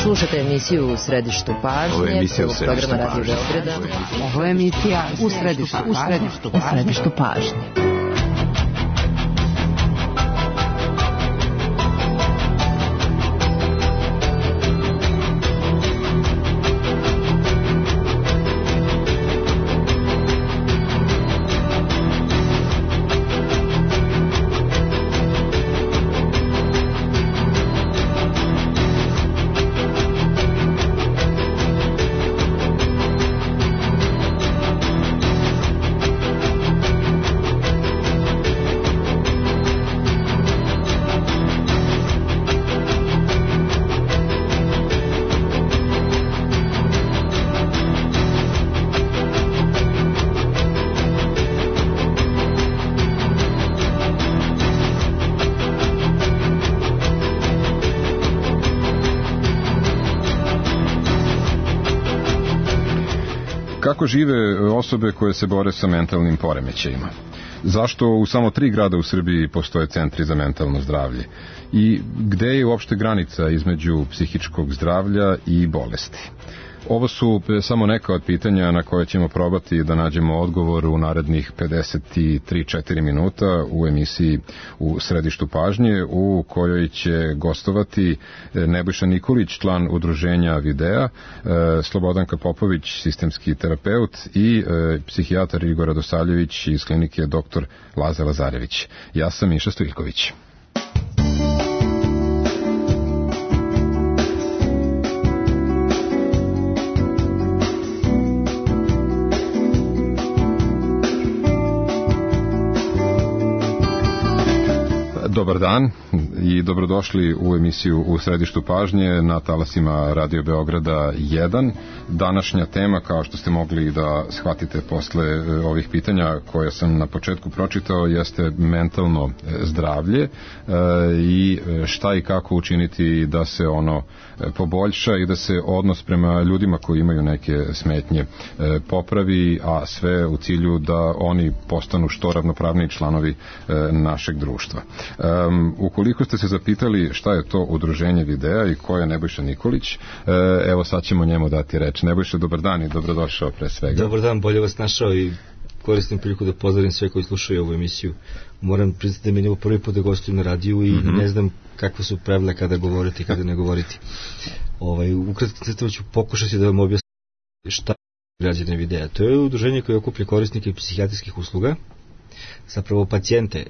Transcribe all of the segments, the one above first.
Slušate emisiju U središtu pažnje. Ovo je emisija U središtu programa Radio Beograda. Ovo je emisija U središtu pažnje. Kako žive osobe koje se bore sa mentalnim poremećajima? Zašto u samo 3 grada u Srbiji postoje centri za mentalno zdravlje? I gde je uopšte granica između psihičkog zdravlja i bolesti? Ovo su samo neka od pitanja na koje ćemo probati da nađemo odgovor u narednih 53-4 minuta u emisiji U središtu pažnje, u kojoj će gostovati Nebojša Nikolić, član udruženja Videa, Slobodanka Popović, sistemski terapeut i psihijatar Igor Radosavljević iz klinike dr. Laza Lazarević. Ja sam Miša Stojljković. Dobar dan i dobrodošli u emisiju U središtu pažnje na talasima Radio Beograda 1. Današnja tema, kao što ste mogli da shvatite posle ovih pitanja koje sam na početku pročitao, jeste mentalno zdravlje i šta i kako učiniti da se ono poboljša i da se odnos prema ljudima koji imaju neke smetnje popravi, a sve u cilju da oni postanu što ravnopravniji članovi našeg društva. Ukoliko ste se zapitali šta je to udruženje Videa i ko je Nebojša Nikolić, evo sad ćemo njemu dati reč. Nebojša, dobar dan i dobrodošao pre svega. Dobar dan, bolje vas našao i koristim priliku da pozdravim sve koji slušaju ovu emisiju. Moram priznati da mi je ovo prvi put da gostujem na radiju i ne znam kakve su pravila kada govoriti i kada ne govoriti. Ukratko crtama ću pokušati da vam objasnim šta je građane Videa. To je udruženje koje okuplja korisnike psihijatrijskih usluga, zapravo pacijente,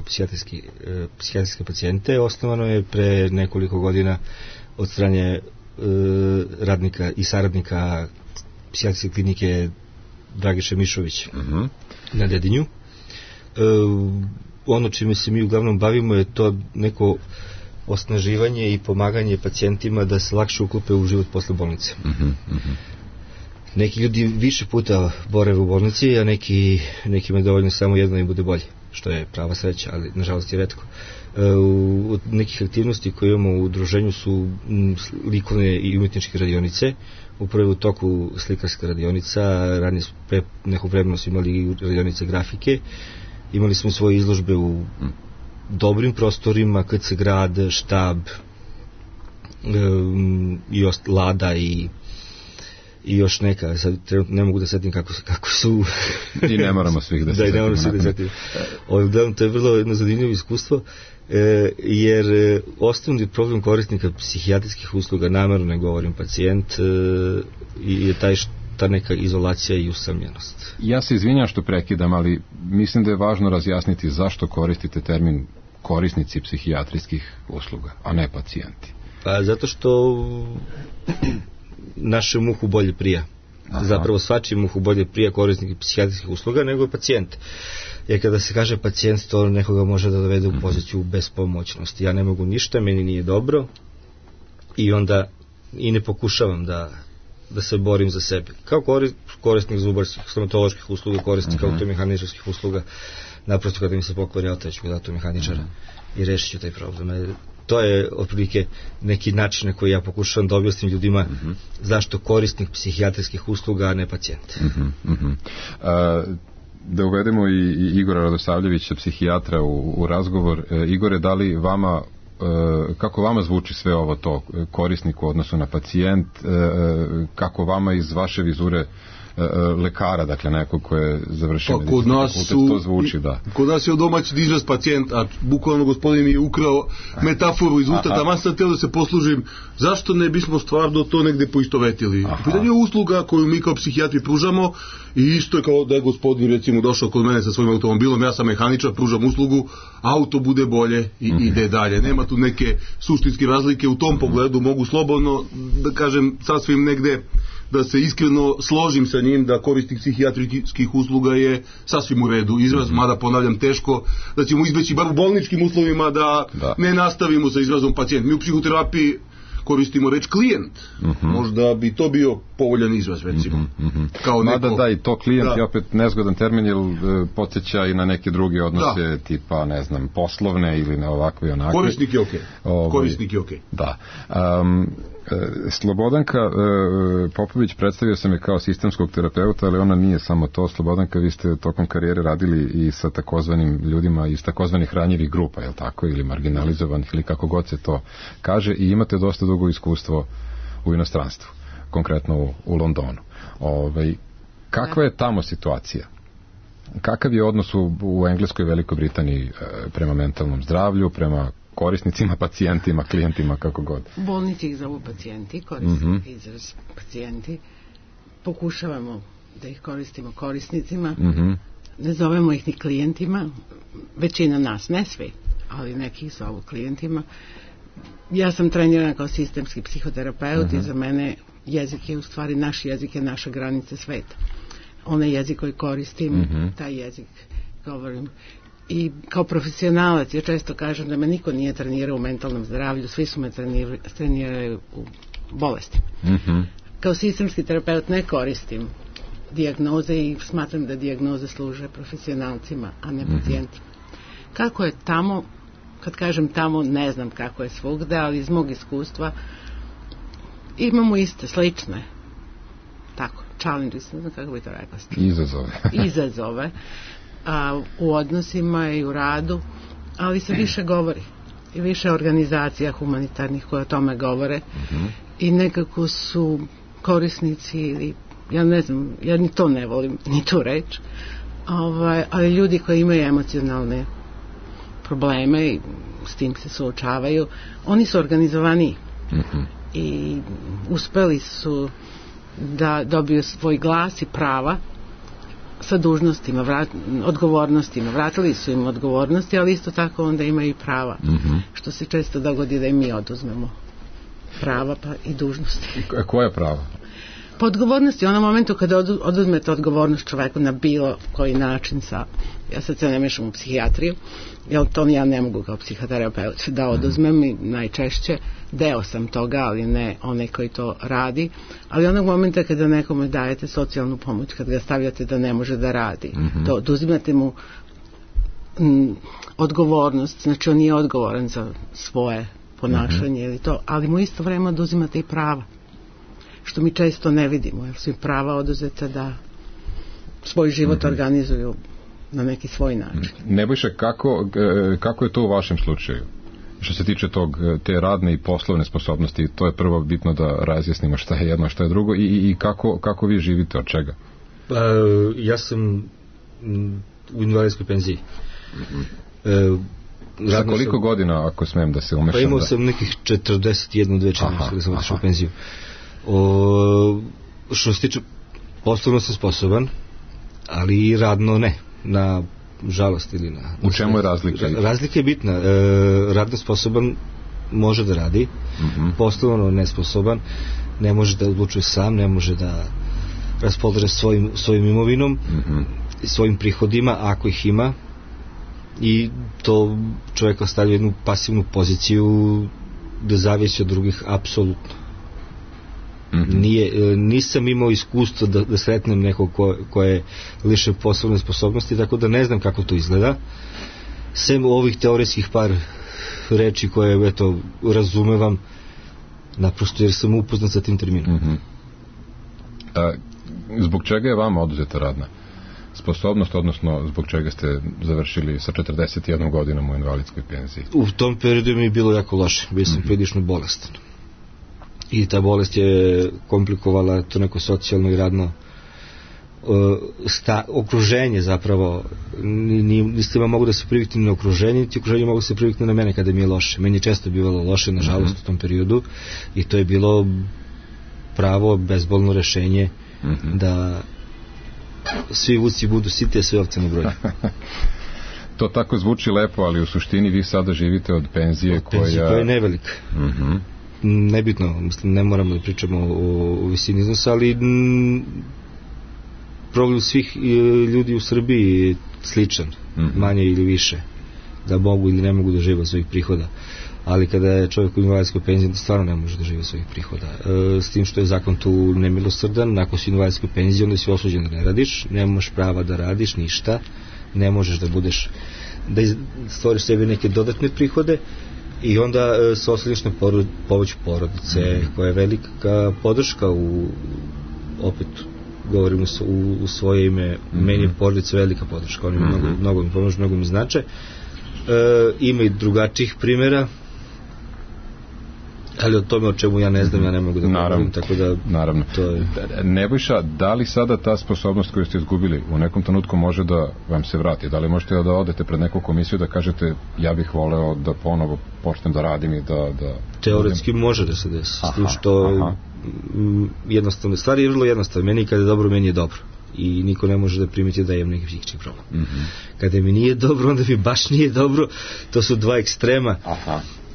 psihijatrijske pacijente. Osnovano je pre nekoliko godina od strane radnika i saradnika psihijatrijske klinike Dragiše Mišović na Dedinju. Ono čime se mi uglavnom bavimo je to neko osnaživanje i pomaganje pacijentima da se lakše uklope u život posle bolnice. Neki ljudi više puta borave u bolnici, a nekima je dovoljno samo jedno im bude bolje, što je prava sreća, ali nažalost je retko. Od nekih aktivnosti koje imamo u udruženju su likovne i umetničke radionice. Upravo u toku slikarska radionica, ranije pre nekog vremena smo imali radionice grafike, imali smo svoje izložbe u dobrim prostorima, KC grad, štab, Lada i još neka, sad ne mogu da setim kako su. I ne moramo svih da se setimo. Da, ne moramo svih da setimo. To je vrlo jedno zanimljivo iskustvo, jer osnovni problem korisnika psihijatrijskih usluga, namerno ne govorim pacijent, je ta neka izolacija i usamljenost. Ja se izvinjam što prekidam, ali mislim da je važno razjasniti zašto koristite termin korisnici psihijatrijskih usluga, a ne pacijenti. Pa zato što našem uhu bolje prija. Zapravo svačim uhu bolje prija korisnik psihijatrijskih usluga nego pacijent. Jer kada se kaže pacijent, to nekoga može da dovede u poziciju bespomoćnosti. Ja ne mogu ništa, meni nije dobro i onda i ne pokušavam da se borim za sebe. Kao korisnik zubarskih, stomatoloških usluga, korisnik automehaničarskih usluga, naprosto kada mi se pokvari auto, ću dati automehaničara i rešit ću taj problem. To je otprilike neki način na koji ja pokušavam da objasnim ljudima zašto korisnik psihijatrijskih usluga, a ne pacijent. Da uvedemo i Igora Radosavljevića, psihijatra, u razgovor. Igore, da li vama kako vama zvuči sve ovo to, korisnik u odnosu na pacijent, kako vama iz vaše vizure lekara, dakle neko ko je završio medicinski fakultet, to zvuči, da. Kod nas je domaći izraz pacijent, a bukvalno gospodin mi je ukrao metaforu iz usta, tamo sam teo da se poslužim, zašto ne bismo stvarno to negde poistovetili. Pitanje je usluga koju mi kao psihijatri pružamo i isto je kao da je gospodin recimo došao kod mene sa svojim automobilom, ja sam mehaničar, pružam uslugu, auto bude bolje i ide dalje. Nema tu neke suštinske razlike u tom pogledu, mogu slobodno da kažem sasvim negde da se iskreno složim sa njim da korisnik psihijatrijskih usluga je sasvim u redu izraz, mada ponavljam teško da ćemo izbeći bar u bolničkim uslovima da ne nastavimo sa izrazom pacijent. Mi u psihoterapiji koristimo reč klijent. Možda bi to bio povoljan izraz, recimo. Kao neko... Mada da, i to klijent je opet nezgodan termin, jer podsjeća i na neke druge odnose, tipa, ne znam, poslovne ili na ovakve i onakve. Korisnik je okej. Korisnik je okej. Da. Slobodanka Popović predstavio sam je kao sistemskog terapeuta, ali ona nije samo to. Slobodanka, vi ste tokom karijere radili i sa takozvanim ljudima iz takozvanih ranjivih grupa, je li tako, ili marginalizovanih, ili kako god se to kaže, i imate dosta dugo iskustvo u inostranstvu, konkretno u Londonu. Kakva je tamo situacija? Kakav je odnos u Engleskoj i Velikoj Britaniji prema mentalnom zdravlju, prema korisnicima, pacijentima, klijentima, kako god? Bolnici ih zovu pacijenti, koristimo izraz pacijenti. Pokušavamo da ih koristimo korisnicima. Ne zovemo ih ni klijentima. Većina nas, ne svi, ali neki ih zovu klijentima. Ja sam trenirana kao sistemski psihoterapeut i za mene jezik je u stvari naš jezik, je naša granica sveta. Onaj jezik koji koristim, taj jezik govorim. I kao profesionalac ja često kažem da me niko nije trenirao u mentalnom zdravlju, svi su me trenirali u bolestima. Kao sistemski terapeut ne koristim dijagnoze i smatram da dijagnoze služe profesionalcima, a ne pacijentima. Kako je tamo, kad kažem tamo, ne znam kako je svugde, ali iz mog iskustva imamo iste, slične, tako, challenges, ne znam kako bi to rekla. Izazove. U odnosima i u radu, ali se više govori i više organizacija humanitarnih koje o tome govore i nekako su korisnici ili, ja ne znam, ja ni to ne volim, ni tu reč, ali ljudi koji imaju emocionalne probleme i s tim se suočavaju, oni su organizovaniji i uspeli su da dobiju svoj glas i prava sa dužnostima, odgovornostima. Vratili su im odgovornosti, ali isto tako onda imaju i prava. Što se često dogodi da i mi oduzmemo prava pa i dužnosti. Koja je prava? Po odgovornosti, u onom momentu kada oduzmete odgovornost čoveku na bilo koji način, ja sad se ne mešam u psihijatriju, jer to ja ne mogu kao psihoterapeut da oduzmem i najčešće deo sam toga, ali ne onaj koji to radi, ali onog momenta kada nekome dajete socijalnu pomoć, kada ga stavljate da ne može da radi, to oduzimate mu odgovornost, znači on nije odgovoran za svoje ponašanje ili to, ali mu isto vreme oduzimate i prava, što mi često ne vidimo, jer su im prava oduzeta da svoj život organizuju na neki svoj način. Nebojša, kako je to u vašem slučaju? Što se tiče te radne i poslovne sposobnosti, to je prvo bitno da razjasnimo šta je jedno, šta je drugo i kako vi živite, od čega? Ja sam u invalidskoj penziji. Za koliko godina, ako smem da se umešam? Pa imao sam nekih 41-2 čini da sam otišao u penziju. Što se tiče, poslovno sam sposoban, ali i radno ne, na žalost ili na... U čemu je razlika? Razlika je bitna. Radno sposoban može da radi, poslovno nesposoban, ne može da odlučuje sam, ne može da raspolaže svojim imovinom, svojim prihodima, ako ih ima, i to čovjeka stavlja u jednu pasivnu poziciju da zavisi od drugih apsolutno. Nisam imao iskustvo da sretnem nekog ko je lišen poslovne sposobnosti, tako da ne znam kako to izgleda, sem ovih teorijskih par reči koje eto razumevam naprosto jer sam upoznat sa tim terminom. Zbog čega je vama oduzeta radna sposobnost, odnosno zbog čega ste završili sa 41 godinom u invalidskoj penziji? U tom periodu mi je bilo jako loše, bio sam prilično bolestan. I ta bolest je komplikovala to neko socijalno i radno okruženje zapravo. Niste mogu da se priviknu na okruženje, niti okruženje mogu da se priviknu na mene kada mi je loše. Meni je često bivalo loše, nažalost, u tom periodu, i to je bilo pravo bezbolno rešenje da svi vuci budu siti, a sve ovce na broju. To tako zvuči lepo, ali u suštini vi sada živite od penzije koja je nevelika. Nebitno, mislim, ne moramo da pričamo o visini iznosa, ali problem svih ljudi u Srbiji je sličan, manje ili više, da mogu ili ne mogu da žive od svojih prihoda. Ali kada je čovjek u invalidskoj penziji, stvarno ne može da žive od svojih prihoda. S tim što je zakon tu nemilosrdan, ako si u invalidskoj penziji, onda si osuđen da ne radiš, nemaš prava da radiš ništa, ne možeš da budeš, da stvoriš sebi neke dodatne prihode, i onda se osloniš na pomoć porodice, koja je velika podrška opet govorim u svoje ime, meni je porodica velika podrška, oni mnogo mi pomožu, mnogo mi znače. Ima i drugačijih primjera, ali o tome o čemu ja ne znam, ja ne mogu da govorim, tako da naravno. To je... Nebojša, da li sada ta sposobnost koju ste izgubili u nekom trenutku može da vam se vrati? Da li možete da odete pred neku komisiju da kažete ja bih voleo da ponovo počnem da radim i da teoretski može da se desi, s tim što jednostavno, stvari je vrlo jednostavno. Meni kada je dobro, meni je dobro. I niko ne može da primeti da imam neki psihički problem. Kada mi nije dobro, onda mi baš nije dobro. To su dva ekstrema.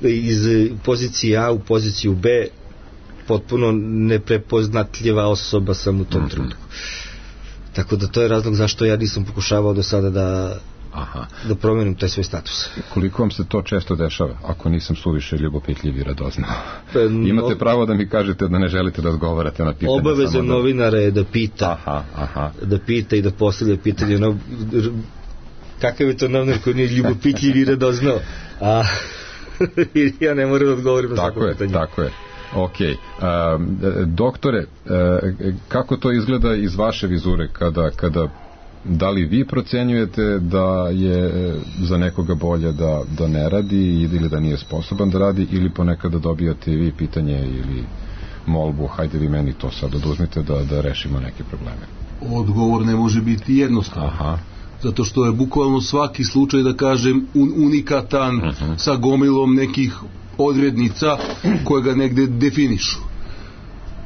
Iz pozicije A u poziciju B, potpuno neprepoznatljiva osoba sam u tom trenutku. Tako da to je razlog zašto ja nisam pokušavao do sada da promenim taj svoj status. Koliko vam se to često dešava, ako nisam suviše ljubopitljiv i radoznao? Imate pravo da mi kažete da ne želite da odgovarate na pitanje. Obaveza novinara je da pita, da pita i da postavlja pitanje. Kakav je to novinar koji nije ljubopitljiv i radoznao? Ja ne moram da odgovorim na svako pitanje. Tako je. Ok. Doktore, kako to izgleda iz vaše vizure kada da li vi procenjujete da je za nekoga bolje da ne radi ili da nije sposoban da radi, ili ponekada dobijate vi pitanje ili molbu, hajde vi meni to sad oduzmite da rešimo neke probleme? Odgovor ne može biti jednostavan. Zato što je bukvalno svaki slučaj, da kažem, unikatan, sa gomilom nekih odrednica koje ga negde definišu.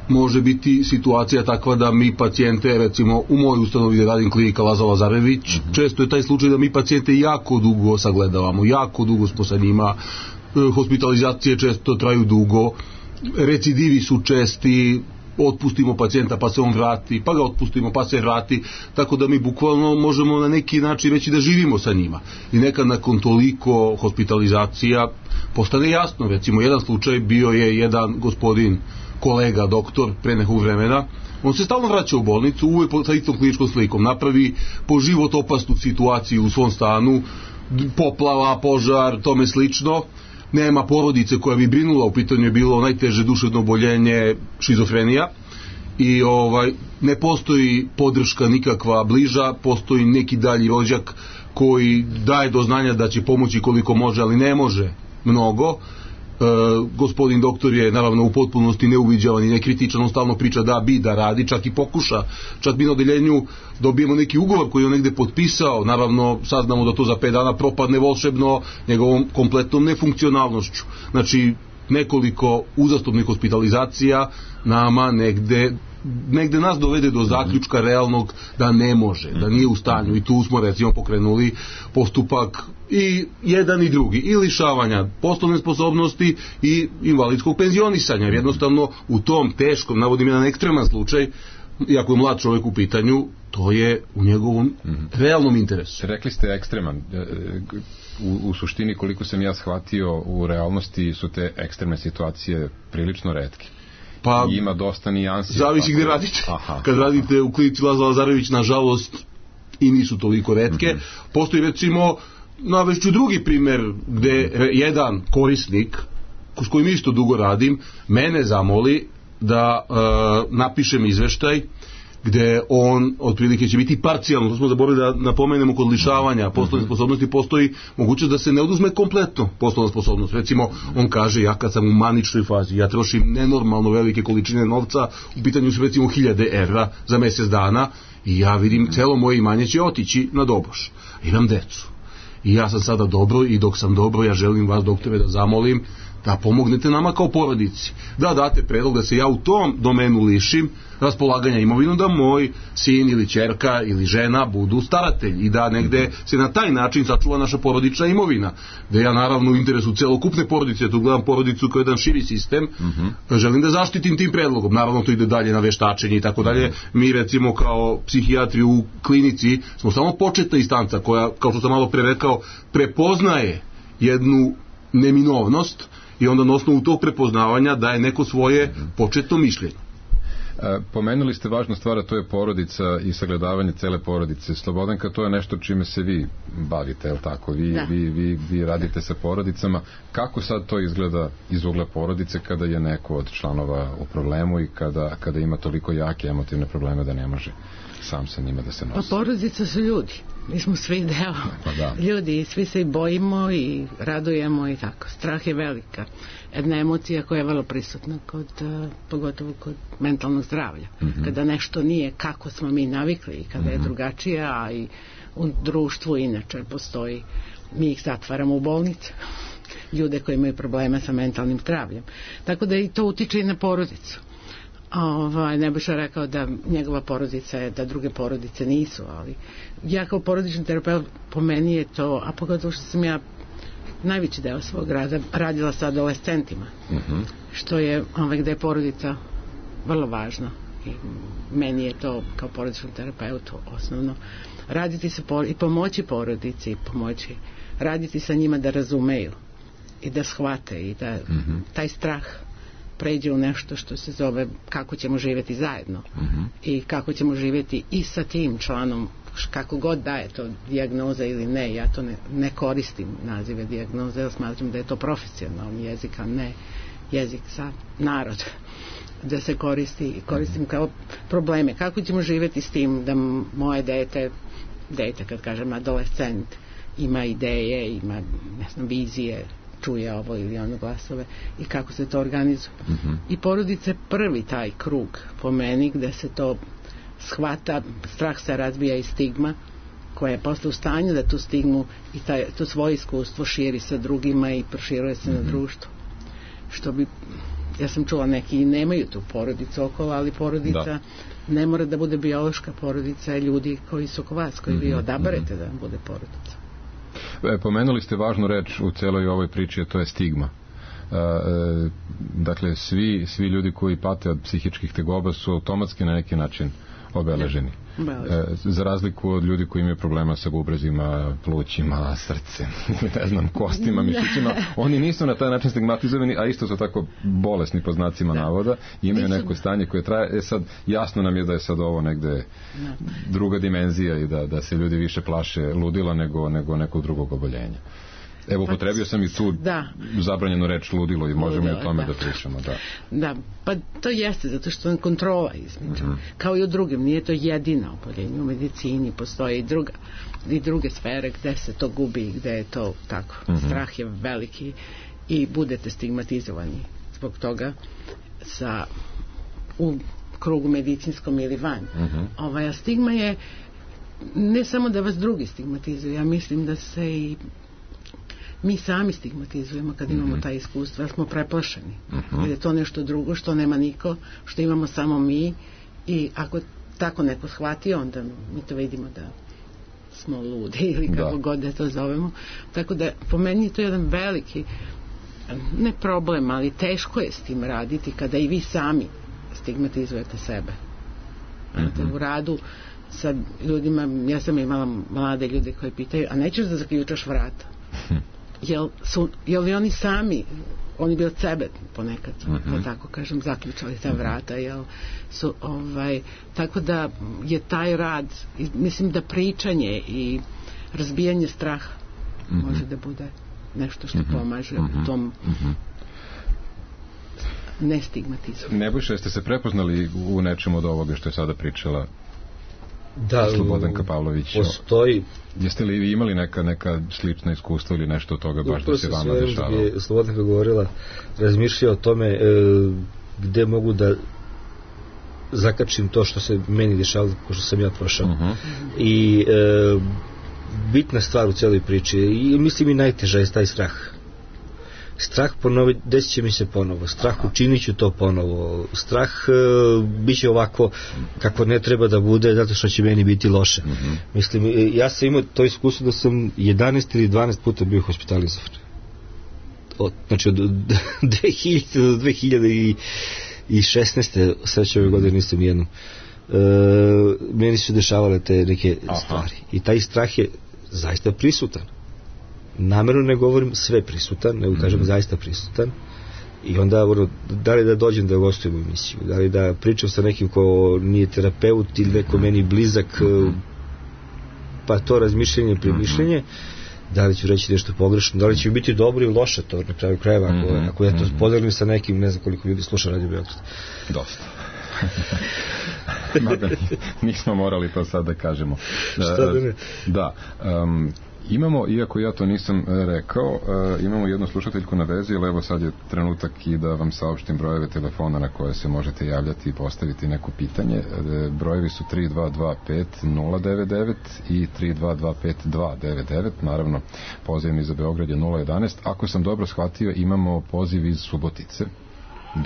Može biti situacija takva da mi pacijente, recimo u mojoj ustanovi gde radim, klinika Laza Lazarević, često je taj slučaj da mi pacijente jako dugo sagledavamo, jako dugo smo sa njima, hospitalizacije često traju dugo, recidivi su česti, otpustimo pacijenta pa se on vrati, pa ga otpustimo pa se vrati, tako da mi bukvalno možemo na neki način reći da živimo sa njima. I nekad nakon toliko hospitalizacija postane jasno. Recimo jedan slučaj bio je jedan gospodin, kolega, doktor, pre nekog vremena, on se stalno vraća u bolnicu, uvek sa istom kliničkom slikom, napravi po život opasnu situaciju u svom stanu, poplava, požar, tome slično, nema porodice koja bi brinula, u pitanju je bilo najteže duševno oboljenje, šizofrenija, i ne postoji podrška nikakva bliža, postoji neki dalji rođak koji daje do znanja da će pomoći koliko može, ali ne može mnogo. Gospodin doktor je naravno u potpunosti neuviđavan i nekritičan, on stalno priča da radi, čak i pokuša, čak bi na odeljenju dobijemo neki ugovor koji je on negde potpisao, naravno saznamo da to za 5 dana propadne volšebno njegovom kompletnom nefunkcionalnošću. Znači nekoliko uzastopnih hospitalizacija nama negde nas dovede do zaključka realnog da ne može, da nije u stanju, i tu smo recimo pokrenuli postupak i jedan i drugi, i lišavanja poslovne sposobnosti i invalidskog penzionisanja, jer jednostavno u tom teškom, navodim jedan ekstreman slučaj, iako je mlad čovjek u pitanju, to je u njegovom realnom interesu. Rekli ste ekstreman, u suštini koliko sam ja shvatio u realnosti su te ekstremne situacije prilično retke. Pa, ima dosta nijansi. Zavisi gde radite. Kad radite u klinici Laza Lazarević, nažalost, i nisu toliko retke. Postoji recimo, navešću drugi primer, gde jedan korisnik, s kojim isto dugo radim, mene zamoli da napišem izveštaj gde on otprilike će biti parcijalno, to smo zaboravili da napomenemo kod lišavanja poslovne sposobnosti, postoji mogućnost da se ne oduzme kompletno poslovna sposobnost. Recimo, on kaže, ja kad sam u maničnoj fazi, ja trošim nenormalno velike količine novca, u pitanju su recimo 1000 evra za mesec dana, i ja vidim celo moje imanje će otići na doboš. Imam decu. I ja sam sada dobro, i dok sam dobro, ja želim vas, doktore, da zamolim da pomognete nama kao porodici, da date predlog da se ja u tom domenu lišim raspolaganja imovinom, da moj sin ili ćerka ili žena budu staratelj i da negde se na taj način sačuva naša porodična imovina, da ja naravno u interesu celokupne porodice, tu gledam porodicu kao jedan širi sistem, želim da zaštitim tim predlogom. Naravno to ide dalje na veštačenje i tako dalje. Mi recimo kao psihijatri u klinici smo samo početna instanca koja, kao što sam malo pre rekao, prepoznaje jednu neminovnost i onda na osnovu tog prepoznavanja daje neko svoje početno mišljenje. Pomenuli ste važnu stvar, a to je porodica i sagledavanje cele porodice. Slobodanka, to je nešto čime se vi bavite, je li tako? Vi radite sa porodicama. Kako sad to izgleda iz ugla porodice kada je neko od članova u problemu i kada ima toliko jake emotivne probleme da ne može sam sa njima da se nosi? Pa porodica su ljudi. Mi smo svi deo ljudi i svi se i bojimo i radujemo i tako. Strah je velika. Jedna emocija koja je vrlo prisutna pogotovo kod mentalnog zdravlja. Kada nešto nije kako smo mi navikli i kada je drugačije, a i u društvu inače postoji, mi ih zatvaramo u bolnice. Ljude koji imaju probleme sa mentalnim zdravljem. Tako da i to utiče i na porodicu. Nebojša rekao da njegova porodica je, da druge porodice nisu, ali ja kao porodični terapeut, po meni je to, a pogotovo što sam ja najveći deo svog rada radila sa adolescentima, što je gde je porodica vrlo važna i meni je to kao porodičnom terapeutu osnovno raditi sa i pomoći porodici i pomoći raditi sa njima da razumeju i da shvate i da taj strah pređe u nešto što se zove kako ćemo živjeti zajedno i kako ćemo živjeti i sa tim članom, kako god da je to dijagnoza ili ne. Ja to ne koristim nazive dijagnoze, jer smatram da je to profesionalni jezik, a ne jezik za narod, da se koristim kao probleme. Kako ćemo živjeti s tim da moje dete kad kažem adolescent, ima ideje, ima vizije, čuje ovo ili ono glasove i kako se to organizuje. I porodice prvi taj krug po meni gde se to shvata, strah se razbija i stigma koja je posle u stanju da tu stigmu i to svoje iskustvo širi sa drugima i proširuje se na društvo. Što bi, ja sam čula, neki nemaju tu porodicu okolo, ali porodica ne mora da bude biološka porodica, ljudi koji su oko vas, koji vi odaberete da bude porodica. Pomenuli ste važnu reč u celoj ovoj priči, a to je stigma. Dakle, svi ljudi koji pate od psihičkih tegoba su automatski na neki način obeleženi. Za razliku od ljudi koji imaju problema sa bubrezima, plućima, srcem, ne znam, kostima, mišićima, oni nisu na taj način stigmatizovani, a isto su tako bolesni po znacima navoda, imaju neko stanje koje traje. Sad, jasno nam je da je sad ovo negde druga dimenzija i da se ljudi više plaše ludila nego nekog drugog oboljenja. Evo, upotrebio sam i tu zabranjenu reč ludilo i možemo i o tome da pričamo. Da, pa to jeste, zato što je kontrola između. Kao i u drugim, nije to jedino oboljenje. U medicini postoje i druge sfere gde se to gubi, gde je to tako. Strah je veliki i budete stigmatizovani zbog toga u krugu medicinskom ili van. A stigma je ne samo da vas drugi stigmatizuju, ja mislim da se i mi sami stigmatizujemo kad imamo taj iskustvo, jer smo preplašeni. Jer je to nešto drugo što nema niko, što imamo samo mi, i ako tako neko shvati, onda mi to vidimo da smo ludi ili kako god da to zovemo. Tako da po meni je to jedan veliki, ne problem, ali teško je s tim raditi kada i vi sami stigmatizujete sebe. U radu sa ljudima, ja sam imala mlade ljude koji pitaju, a nećeš da zaključaš vrata? Jel li oni sami, oni bi od sebe ponekad, da tako kažem, zaključali ta vrata, tako da je taj rad, mislim da pričanje i razbijanje straha može da bude nešto što pomaže u tom nestigmatizmu. Nebojša, jeste se prepoznali u nečemu od ovoga što je sada pričala Da, Slobodanka Pavlović. Postoji. Jeste li vi imali neka slična iskustva ili nešto od toga baš da se vama dešavalo? Slobodanka govorila, razmišljao o tome gde mogu da zakačim to što se meni dešavalo, ko što sam ja prošao. I bitna stvar u celoj priči, i mislim i najteža je taj strah. Strah ponovi, desit će mi se ponovo, strah učinit ću to ponovo, strah bit će ovako kako ne treba da bude zato što će meni biti loše. Mislim, ja sam imao to iskustvo da sam 11 ili 12 puta bio hospitalizovan. Znači od 2000 do 2016. sreće ove godine nisam nijednom. Meni su dešavale te neke stvari i taj strah je zaista prisutan. Namerno ne govorim sve prisutan, nego kažem zaista prisutan. I onda da li da dođem da gostujem u emisiju, da li da pričam sa nekim ko nije terapeut ili neko meni blizak, pa to razmišljanje, premišljanje, da li ću reći nešto pogrešno, da li će biti dobro ili loše, to na kraju krajeva, ako ja to podelim sa nekim, ne znam koliko ljudi sluša Radio Beograd. Dosta. Mada nismo morali to sad da kažemo. Šta da ne? Da. Imamo, iako ja to nisam rekao, imamo jednu slušateljku na vezi, ali evo sad je trenutak i da vam saopštim brojeve telefona na koje se možete javljati i postaviti neko pitanje. Brojevi su 3225-099 i 3225-299, naravno poziv iz Beograd je 011. Ako sam dobro shvatio, imamo poziv iz Subotice.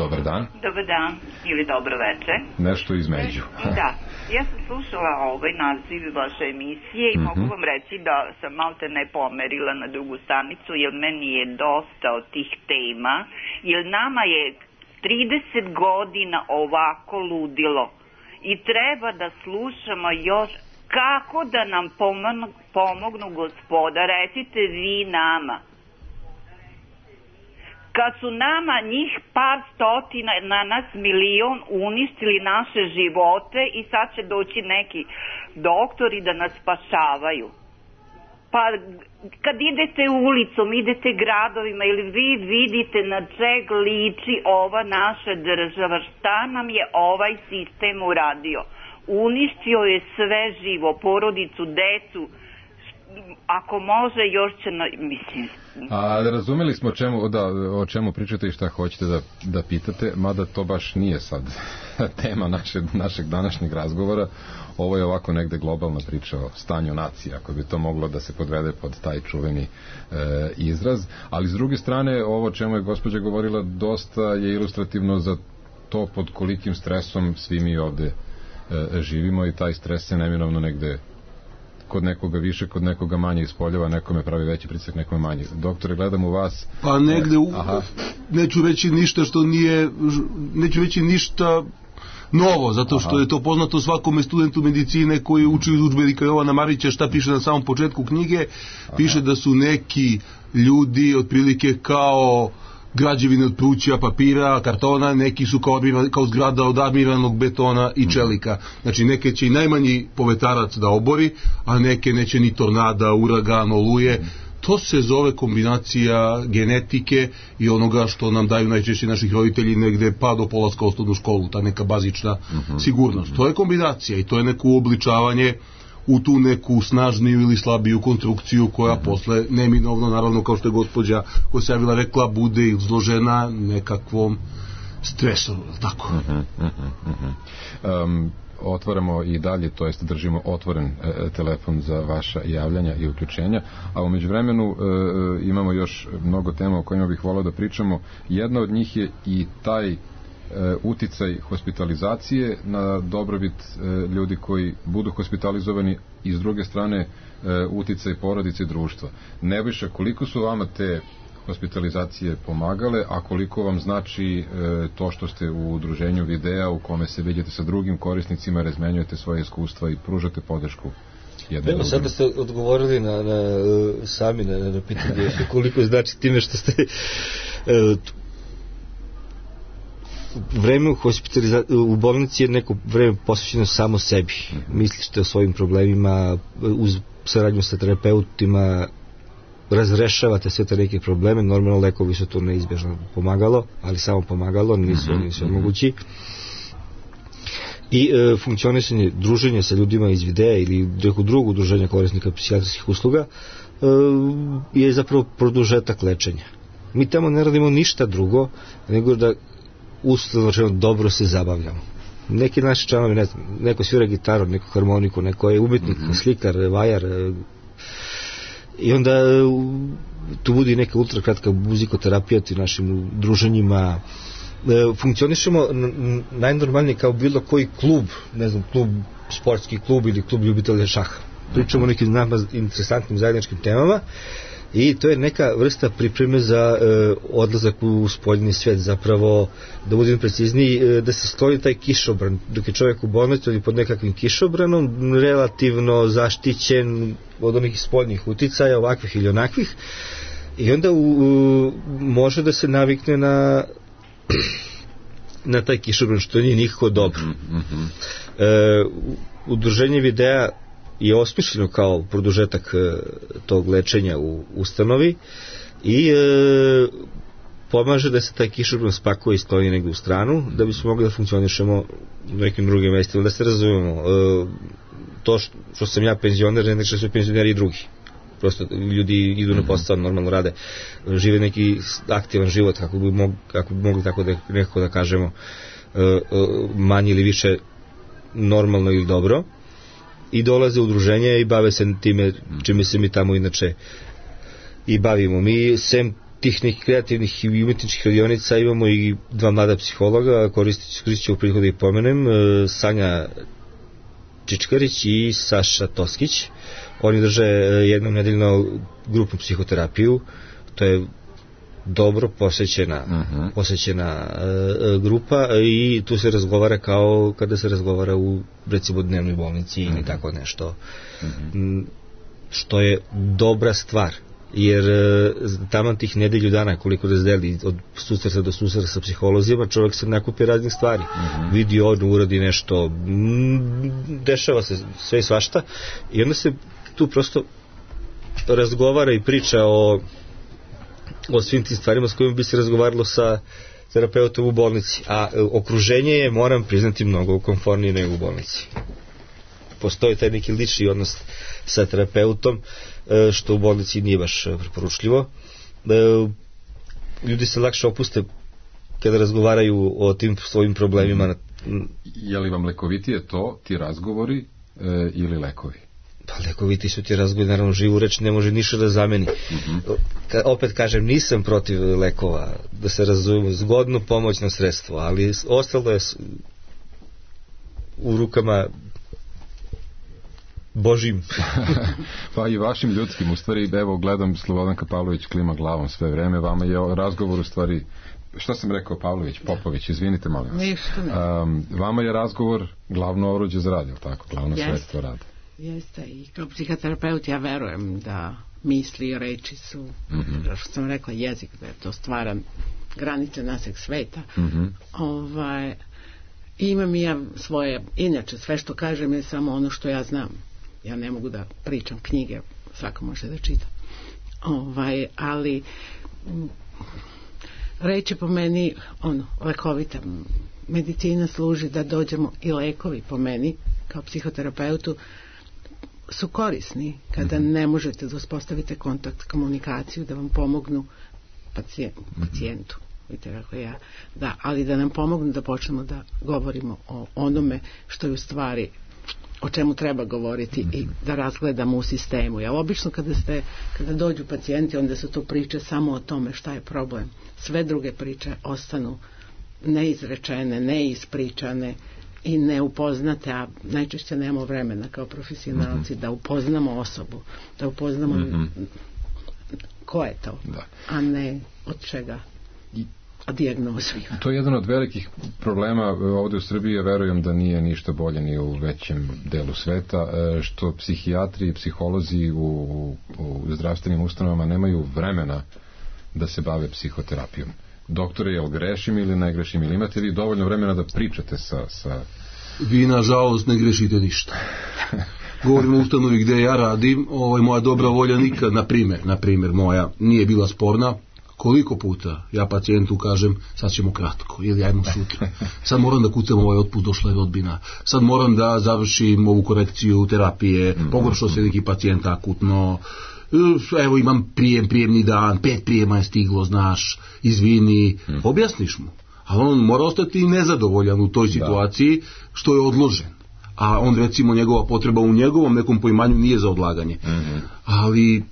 Dobar dan. Dobar dan ili dobro veče. Nešto između. Da, ja sam slušala naziv vaše emisije i mogu vam reći da sam malte ne pomerila na drugu stanicu, jer meni je dosta od tih tema, jer nama je 30 godina ovako ludilo i treba da slušamo još kako da nam pomognu gospoda, recite vi nama. Kad su nama njih par stotina, na nas milion uništili naše živote i sad će doći neki doktori da nas spašavaju. Pa kad idete ulicom, idete gradovima ili vi vidite na čeg liči ova naša država, šta nam je ovaj sistem uradio? Uništio je sve živo, porodicu, decu, ako može još će mislim. A razumeli smo o čemu pričate i šta hoćete da pitate, mada to baš nije sad tema našeg današnjeg razgovora. Ovo je ovako negde globalna priča o stanju nacije, ako bi to moglo da se podvede pod taj čuveni izraz. Ali s druge strane, ovo čemu je gospođa govorila dosta je ilustrativno za to pod kolikim stresom svi mi ovde živimo, i taj stres se neminovno negde kod nekoga više, kod nekoga manje ispoljava, nekome pravi veći pritisak, nekome manje. Doktore, gledam u vas. Pa negde, neću reći ništa što nije, neću reći ništa novo, zato što je to poznato svakome studentu medicine koji uči iz udžbenika Jovana Marića. Šta piše na samom početku knjige? Piše da su neki ljudi otprilike kao građevine od pruća, papira, kartona, neki su kao zgrada od armiranog betona i čelika. Znači neke će i najmanji povetarac da obori, a neke neće ni tornada, uragan, oluje. To se zove kombinacija genetike i onoga što nam daju najčešće naših roditelji negde pa do polaska u osnovnu školu, ta neka bazična sigurnost. To je kombinacija i to je neko uobličavanje u tu neku snažniju ili slabiju konstrukciju koja posle neminovno, naravno kao što je gospođa koja se javila rekla, bude izložena nekakvom stresu, tako? Otvaramo i dalje, to jest držimo otvoren telefon za vaša javljanja i uključenja, a u međuvremenu imamo još mnogo tema o kojima bih volao da pričamo. Jedna od njih je i taj uticaj hospitalizacije na dobrobit ljudi koji budu hospitalizovani, i s druge strane uticaj porodice i društva. Nebojša, koliko su vama te hospitalizacije pomagale, a koliko vam znači to što ste u udruženju Videa u kome se vidite sa drugim korisnicima, razmenjujete svoje iskustva i pružate podršku jedne drugim? Sada ste odgovorili sami na pitanje koliko znači time što ste vreme u bolnici je neko vreme posvećeno samo sebi. Mislište o svojim problemima, uz saradnju sa terapeutima razrešavate sve te neke probleme. Normalno lekovi su to neizbježno pomagalo, ali samo pomagalo, nisu mogući. i funkcionisanje, druženje sa ljudima iz videa ili nekog drugog udruženja korisnika psihijatrijskih usluga je zapravo produžetak lečenja. Mi tamo ne radimo ništa drugo nego da uslovno dobro se zabavljamo. Neki naši članovi, ne znam, neko svira gitaru, neko harmoniku, neko je umetnik, slikar, vajar, i onda tu budi neka ultrakratka muzikoterapija u našim druženjima. Funkcionišemo najnormalnije kao bilo koji klub, ne znam, klub, sportski klub ili klub ljubitelja šaha. Pričamo o nekim nama interesantnim zajedničkim temama i to je neka vrsta pripreme za odlazak u spoljni svet, zapravo, da budem precizniji, da se skloni taj kišobran, dok je čovjek u bolnici ili pod nekakvim kišobranom, relativno zaštićen od onih spoljnih uticaja, ovakvih ili onakvih, i onda može da se navikne na taj kišobran, što nije nikako dobro. Udruženje videa je osmišljeno kao produžetak tog lečenja u ustanovi i pomaže da se taj kišobran spakuje i skloni negdje u stranu, da bismo mogli da funkcionišemo u nekim drugim mestima, da se razumemo. To što sam ja penzioner, ne znači da su penzioneri i drugi. Prosto ljudi idu na posao, normalno rade, žive neki aktivan život, kako bi mogli tako da nekako da kažemo, manje ili više normalno ili dobro, i dolaze u udruženje i bave se time čime se mi tamo inače i bavimo. Mi sem tih nekih kreativnih i umetničkih radionica imamo i dva mlada psihologa, koristit ću u priliku da ih pomenem, Sanja Čičkarić i Saša Toskić. Oni drže jednom nedeljno grupnu psihoterapiju, to je dobro posvećena grupa, i tu se razgovara kao kada se razgovara u, recimo, dnevnoj bolnici ili tako nešto, što je dobra stvar, jer taman tih nedelju dana koliko razdeli od susreta do susreta sa psiholozima, čovjek se nakupi raznih stvari, vidi ono, uradi nešto, dešava se sve i svašta, i onda se tu prosto razgovara i priča o svim tim stvarima s kojima bi se razgovaralo sa terapeutom u bolnici, a okruženje je, moram priznati, mnogo komfornije nego u bolnici. Postoji taj neki lični odnos sa terapeutom, što u bolnici nije baš preporučljivo. Ljudi se lakše opuste kada razgovaraju o tim svojim problemima. Je li vam lekovitije to, ti razgovori, ili lekovi? Pa lekoviti su ti razgovori, naravno živu reč ne može ništa da zameni. Opet kažem, nisam protiv lekova, da se razumemo, zgodno pomoćno sredstvo, ali ostalo je u rukama Božim. Pa i vašim ljudskim, u stvari, evo gledam, Slobodanka Pavlović klima glavom sve vreme, vama je razgovor u stvari, šta sam rekao, Pavlović, Popović, izvinite molim vas. Ništa ne. Vama je razgovor glavno oruđe za rad, je li tako? Glavno sredstvo rada. Jeste, i kao psihoterapeut ja verujem da misli i reči su, što sam rekla, jezik, da je to stvaran granice našeg sveta. Imam i ja svoje, inače sve što kažem je samo ono što ja znam. Ja ne mogu da pričam knjige, svako može da čita. Ali reč je po meni lekovita. Medicina služi da dođemo, i lekovi po meni kao psihoterapeutu su korisni kada ne možete da uspostavite kontakt, komunikaciju, da vam pomognu pacijentu. Vidite kako ja, da, ali da nam pomognu da počnemo da govorimo o onome što je u stvari, o čemu treba govoriti, i da razgledamo u sistemu. Ja obično kada dođu pacijenti, onda su to priče samo o tome šta je problem. Sve druge priče ostanu neizrečene, neispričane i neupoznate, a najčešće nemamo vremena kao profesionalci da upoznamo osobu, da upoznamo ko je to, a ne od čega dijagnozu. To je jedan od velikih problema ovdje u Srbiji, verujem da nije ništa bolje ni u većem delu sveta, što psihijatri i psiholozi u zdravstvenim ustanovama nemaju vremena da se bave psihoterapijom. Doktore, jel grešim ili ne grešim, ili imate vi dovoljno vremena da pričate sa... Vi, nažalost, ne grešite ništa. Govorim o ustanovi gdje ja radim, moja dobra volja nikad, na primjer moja, nije bila sporna, Koliko puta ja pacijentu kažem, sad ćemo kratko, ili ajmo sutra, sad moram da kucam ovaj otpust, došla je rodbina, sad moram da završim ovu korekciju terapije, pogoršao se neki pacijent akutno, evo imam prijemni dan, 5 prijema je stiglo, znaš, izvini, objasniš mu. Ali on mora ostati nezadovoljan u toj situaciji što je odložen. A on, recimo, njegova potreba u njegovom nekom poimanju nije za odlaganje. Ali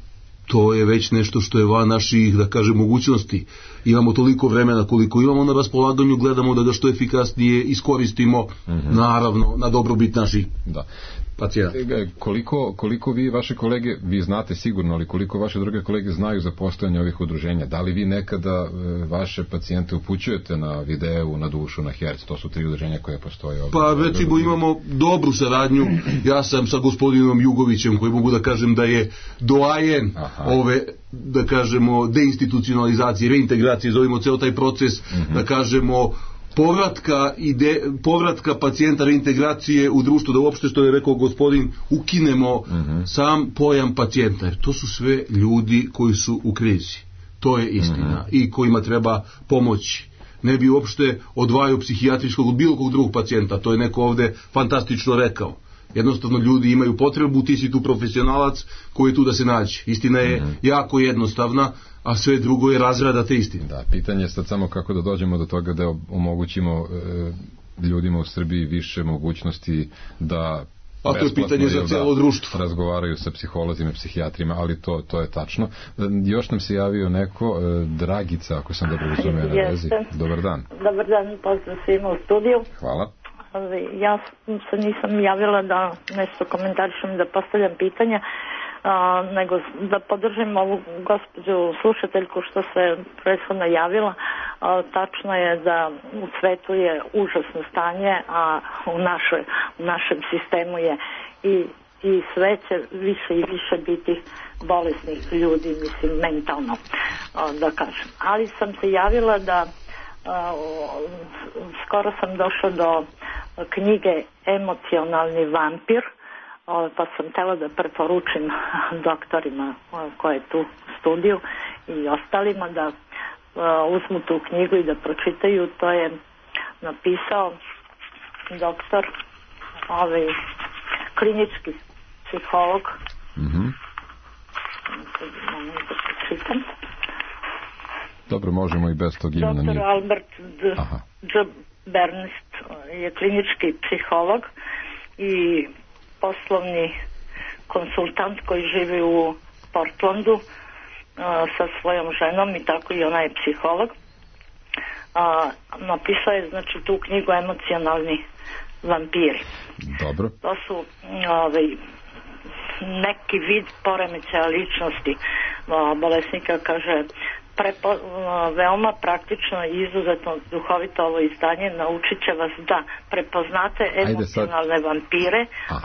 to je već nešto što je van naših, da kažem, mogućnosti. Imamo toliko vremena koliko imamo na raspolaganju, gledamo da ga što efikasnije iskoristimo, naravno, na dobrobit naših pacijenta. Koliko vi, vaše kolege, vi znate sigurno, ali koliko vaše druge kolege znaju za postojanje ovih udruženja? Da li vi nekada vaše pacijente upućujete na Videu, na Dušu, na Herc? To su 3 udruženja koje postoje ovdje. Pa recimo imamo dobru saradnju. Ja sam sa gospodinom Jugovićem, koji mogu da kažem da je doajen ove, da kažemo, deinstitucionalizacije, reintegracije, zovimo ceo taj proces, da kažemo, povratka pacijenta, reintegracije u društvo, da uopšte, što je rekao gospodin, ukinemo sam pojam pacijenta, jer to su sve ljudi koji su u krizi, to je istina, i kojima treba pomoći. Ne bi uopšte odvajao psihijatrijskog od bilo kog drugog pacijenta, to je neko ovde fantastično rekao. Jednostavno ljudi imaju potrebu, ti si tu profesionalac koji je tu da se nađe. Istina je jako jednostavna, a sve drugo je razrada te istine. Da, pitanje je sad samo kako da dođemo do toga da omogućimo ljudima u Srbiji više mogućnosti da a to je pitanje za cijelo društvo. Razgovaraju sa psiholozima i psihijatrima, ali to je tačno. Još nam se javio neko, Dragica, ako sam dobro razumio na vezi. Dobar dan. Dobar dan, pozdrav svima u studiju. Hvala. Ja se nisam javila da nešto komentarišem, da postavljam pitanja, nego da podržim ovu gospođu slušateljku što se prethodno javila. Tačno je da u svetu je užasno stanje, a u našem sistemu je i sve će više i više biti bolesnih ljudi, mislim, mentalno, da kažem. Ali sam se javila da skoro sam došla do knjige Emocionalni vampir, pa sam htjela da preporučim doktorima koje tu studiju i ostalima da uzmu tu knjigu i da pročitaju. To je napisao doktor, klinički psiholog. Dobro, možemo i bez tog imena. Dr. Albert J. Bernst je klinički psiholog i poslovni konsultant koji živi u Portlandu sa svojom ženom i tako i ona je psiholog. Napisao je, znači, tu knjigu Emocionalni vampiri. Dobro. To su neki vid poremećaja ličnosti bolesnika, kaže, veoma praktično i izuzetno duhovito ovo izdanje. Naučit će vas da prepoznate emocionalne vampire,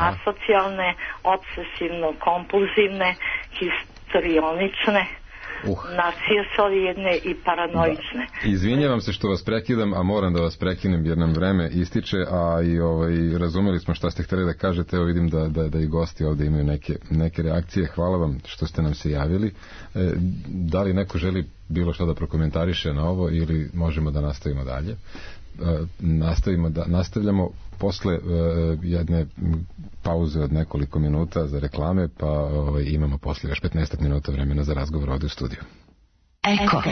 asocijalne, obsesivno-kompulzivne, histrionične, narcisoidne i paranoične. Izvinjavam se što vas prekidam, a moram da vas prekinem jer nam vreme ističe, a i razumeli smo šta ste htjeli da kažete. Evo vidim da i gosti ovdje imaju neke reakcije. Hvala vam što ste nam se javili. Da li neko želi bilo što da prokomentariše na ovo ili možemo da nastavimo dalje? Nastavljamo posle jedne pauze od nekoliko minuta za reklame, pa imamo posle još 15 minuta vremena za razgovor ovdje u studiju. Eko.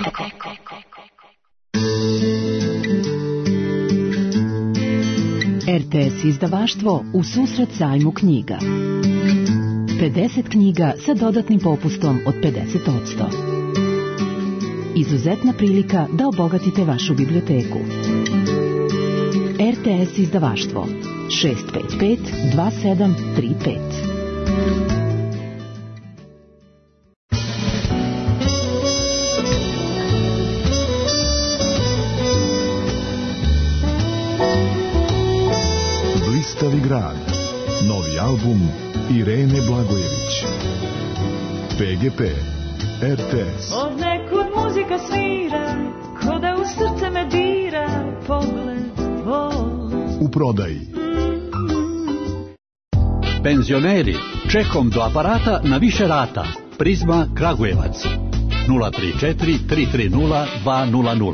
RTS izdavaštvo u susret sajmu knjiga. 50 knjiga sa dodatnim popustom od 50%. Izuzetna prilika da obogatite vašu biblioteku. RTS izdavaštvo 655 2735. Blistavi grad. Novi album Irene Blagojević. PGP RTS. Od nekud muzika svira, ko da u srce me dira, pogled tvoj. U prodaji. Penzioneri, čekom do aparata na više rata. Prizma Kragujevac. 034 330 200.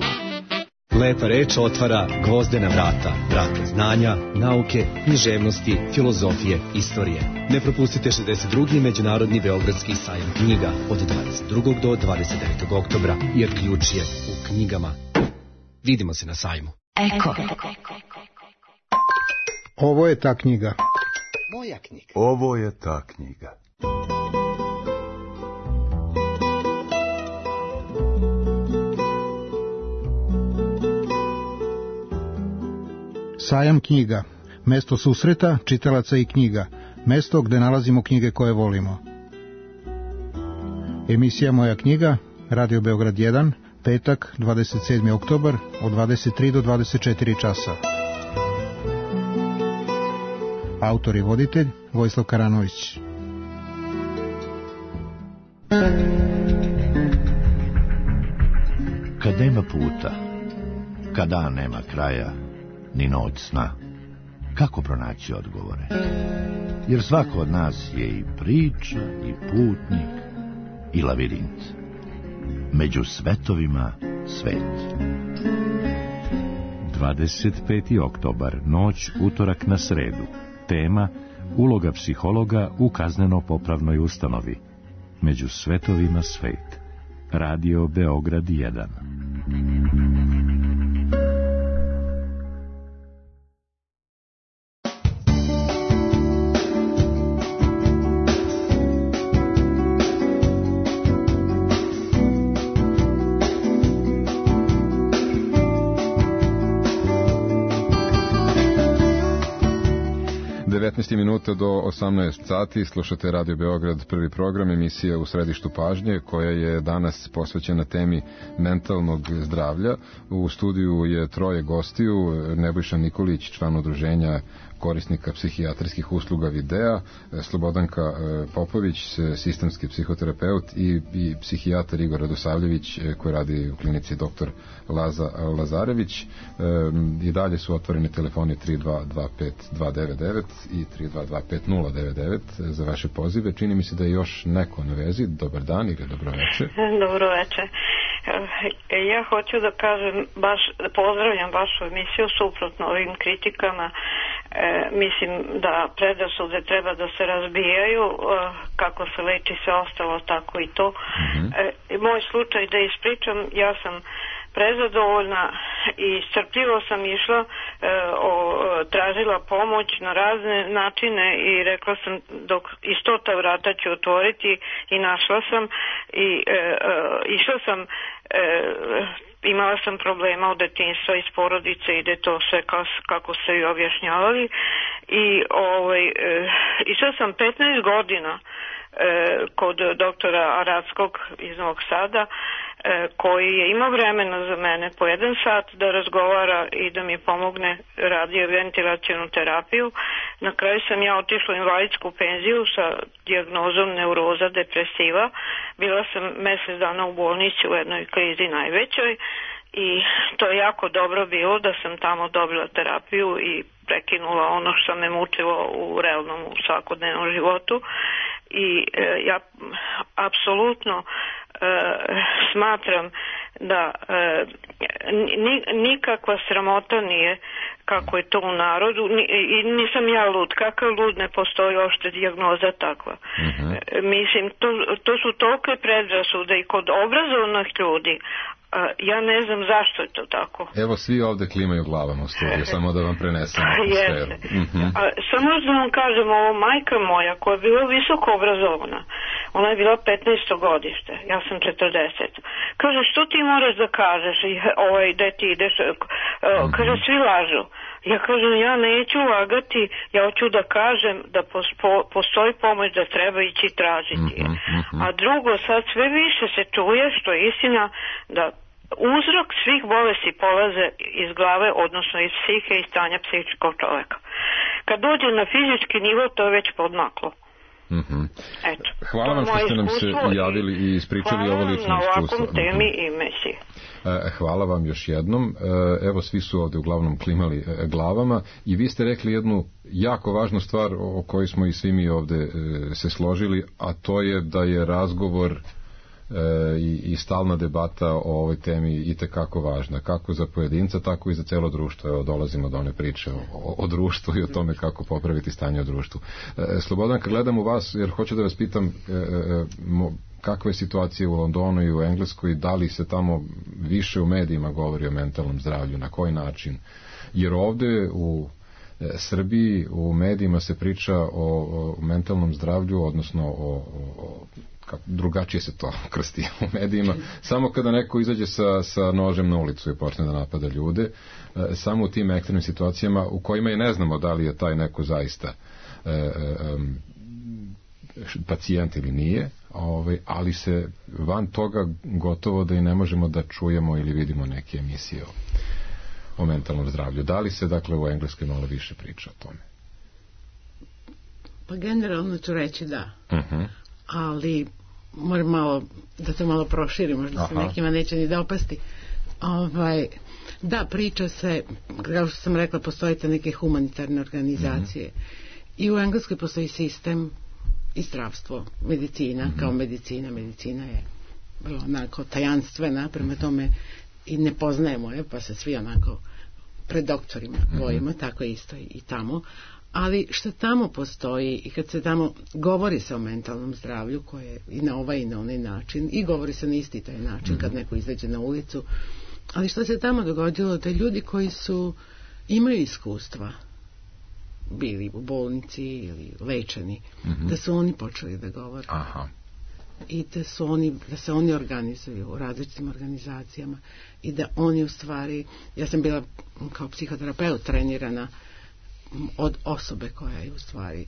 Lepa reč otvara gvozdena vrata, vrata znanja, nauke, književnosti, filozofije, istorije. Ne propustite 62. Međunarodni beogradski sajam knjiga od 22. do 29. oktobra, jer ključ je u knjigama. Vidimo se na sajmu. Eko. Ovo je ta knjiga. Moja knjiga. Ovo je ta knjiga. Sajam knjiga. Mesto susreta, čitalaca i knjiga. Mesto gde nalazimo knjige koje volimo. Emisija Moja knjiga, Radio Beograd 1, petak, 27. oktobar, od 23 do 24 časa. Autor i voditelj Vojislav Karanović. Kad nema puta, kad dan nema kraja, ni noć sna, kako pronaći odgovore? Jer svako od nas je i priča, i putnik, i lavirint. Među svetovima svet. 25. oktobar, noć, utorak na sredu. Tema: uloga psihologa u kazneno-popravnoj ustanovi. Među svetovima svet. Radio Beograd 1. Minuta do 18 sati, slušate Radio Beograd, prvi program, emisija U središtu pažnje, koja je danas posvećena temi mentalnog zdravlja. U studiju je troje gostiju: Nebojša Nikolić, član udruženja korisnika psihijatrijskih usluga Videa, Slobodanka Popović, sistemski psihoterapeut, i psihijatar Igor Radosavljević, koji radi u klinici Dr. Laza Lazarević. I dalje su otvoreni telefoni 3225-299 i 3225-099 za vaše pozive. Čini mi se da je još neko na vezi. Dobar dan ili dobro večer. Dobro večer. Ja hoću da kažem, baš pozdravljam vašu emisiju, suprotno ovim kritikama. Mislim da predrasude treba da se razbijaju, kako se leči sve ostalo, tako i to. Moj slučaj da ispričam, ja sam prezadovoljna i strpljivo sam išla, tražila pomoć na razne načine i rekla sam dok i 100 vrata ću otvoriti, i našla sam i išla sam, imala sam problema od detinjstva iz porodice, ide to sve kako ste i objašnjavali, i išla sam 15 godina kod doktora Aradskog iz Novog Sada, koji je imao vremena za mene po 1 sat da razgovara i da mi pomogne, radio ventilacionu terapiju. Na kraju sam ja otišla u invalidsku penziju sa dijagnozom neuroza depresiva. Bila sam mjesec dana u bolnici u jednoj krizi najvećoj i to je jako dobro bilo da sam tamo dobila terapiju i prekinula ono što me mučilo u realnom, u svakodnevnom životu. I ja apsolutno smatram da nikakva sramota nije kako je to u narodu, i nisam ja lud, kakav lud, ne postoji uopšte dijagnoza takva. Mislim, to su tolike predrasude i kod obrazovnih ljudi. Ja ne znam zašto je to tako. Evo, svi ovde klimaju glavama u studiju, samo da vam prenesem atmosferu. Samo da vam kažem, ovo majka moja koja je bila visoko obrazovana, ona je bila 15. godište, ja sam 40. Kaže, što ti moraš da kažeš, gde ti ideš, kaže, svi lažu. Ja kažem, ja neću lagati, ja hoću da kažem da postoji pomoć, da treba ići tražiti. A drugo, sad sve više se čuje, što je istina, da uzrok svih bolesti polaze iz glave, odnosno iz psihe i stanja psihičkog čoveka. Kad dođe na fizički nivo, to je već podmaklo. Eto, hvala vam što ste nam se javili i ispričali ovo lično iskustvo. Hvala na ovakvom temi i mesiji. Hvala vam još jednom. Evo, svi su ovde uglavnom klimali glavama i vi ste rekli jednu jako važnu stvar o kojoj smo i svi mi ovde se složili, a to je da je razgovor i stalna debata o ovoj temi i tekako važna, kako za pojedinca, tako i za celo društvo. Evo, dolazimo do one priče o društvu i o tome kako popraviti stanje u društvu. Slobodan, kad gledam u vas, jer hoću da vas pitam kakva je situacija u Londonu i u Engleskoj, da li se tamo više u medijima govori o mentalnom zdravlju, na koji način? Jer ovde u Srbiji u medijima se priča o mentalnom zdravlju, odnosno drugačije se to krsti u medijima, samo kada neko izađe sa nožem na ulicu i počne da napada ljude, samo u tim ekstremnim situacijama u kojima i ne znamo da li je taj neko zaista pacijent ili nije, ali se van toga gotovo da i ne možemo da čujemo ili vidimo neke emisije o mentalnom zdravlju. Da li se, dakle, u Engleskoj malo više priča o tome? Pa generalno ću reći da. Ali moram malo, da to malo proširim, možda se nekima neće ni da opasti. Da, priča se, kao što sam rekla, postoje te neke humanitarne organizacije. I u Engleskoj postoji sistem i zdravstvo, medicina, kao medicina je vrlo onako tajanstvena, prema tome i ne poznajemo je, pa se svi onako pred doktorima bojimo, tako isto i tamo. Ali što tamo postoji i kad se tamo govori se o mentalnom zdravlju, koje i na ovaj i na onaj način, i govori se na isti taj način kad neko izađe na ulicu, ali što se tamo dogodilo, da ljudi koji imaju iskustva, bili u bolnici ili lečeni, da su oni počeli da govore. I da se oni organizuju u različitim organizacijama i da oni u stvari, ja sam bila kao psihoterapeut trenirana od osobe koja je u stvari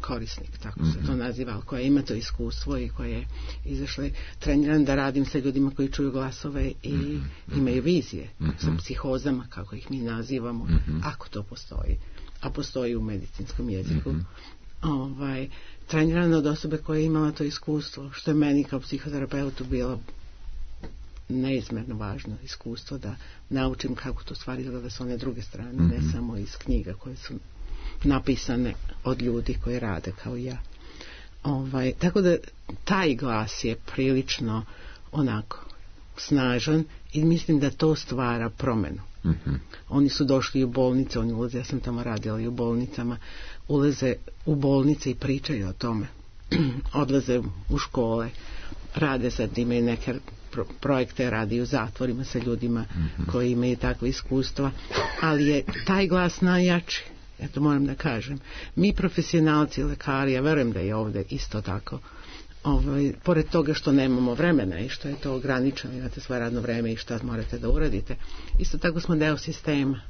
korisnik, tako se to naziva, koja ima to iskustvo i koja je izašla trenirana da radim sa ljudima koji čuju glasove i imaju vizije, sa psihozama, kako ih mi nazivamo, ako to postoji, a postoji u medicinskom jeziku. Trenirana od osobe koja je imala to iskustvo, što je meni kao psihoterapeutu bilo neizmjerno važno iskustvo, da naučim kako to stvari izgleda s one druge strane, ne samo iz knjiga koje su napisane od ljudi koji rade kao ja. Tako da taj glas je prilično onako snažan i mislim da to stvara promenu. Oni su došli u bolnice, oni ulaze, ja sam tamo radila i u bolnicama, ulaze u bolnice i pričaju o tome. Odlaze u škole, rade sad, imaju neke projekte, radi u zatvorima sa ljudima koji imaju takve iskustva, ali je taj glas najjači, ja to moram da kažem. Mi profesionalci, lekari, ja verujem da je ovde isto tako, pored toga što nemamo vremena i što je to ograničeno, imate svoje radno vreme i šta morate da uradite, isto tako smo deo sistema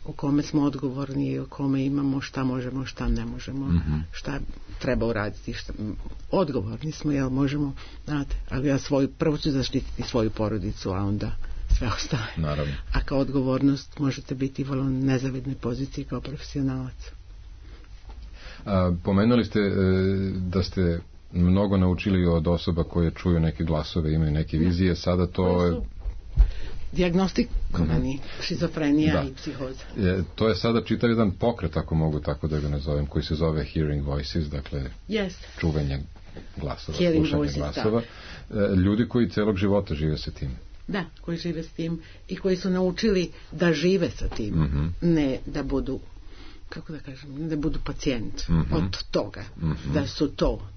u kome smo odgovorni i u kome imamo šta možemo, šta ne možemo, šta treba uraditi, odgovorni smo, jel možemo, znate, ali ja prvo ću zaštititi svoju porodicu, a onda sve ostale. Naravno. A kao odgovornost možete biti u vrlo nezavidnoj poziciji kao profesionalac. Pomenuli ste da ste mnogo naučili od osoba koje čuju neke glasove, imaju neke vizije, sada to je dijagnostikovani šizofrenija i psihoza. To je sada čitav jedan pokret, ako mogu tako da ga nazovem, koji se zove Hearing Voices, dakle čuvanje glasova, slušanje glasova. Ljudi koji celog života žive sa tim. Da, koji žive s tim i koji su naučili da žive sa tim, ne da budu, kako da kažem, ne da budu pacijent od toga,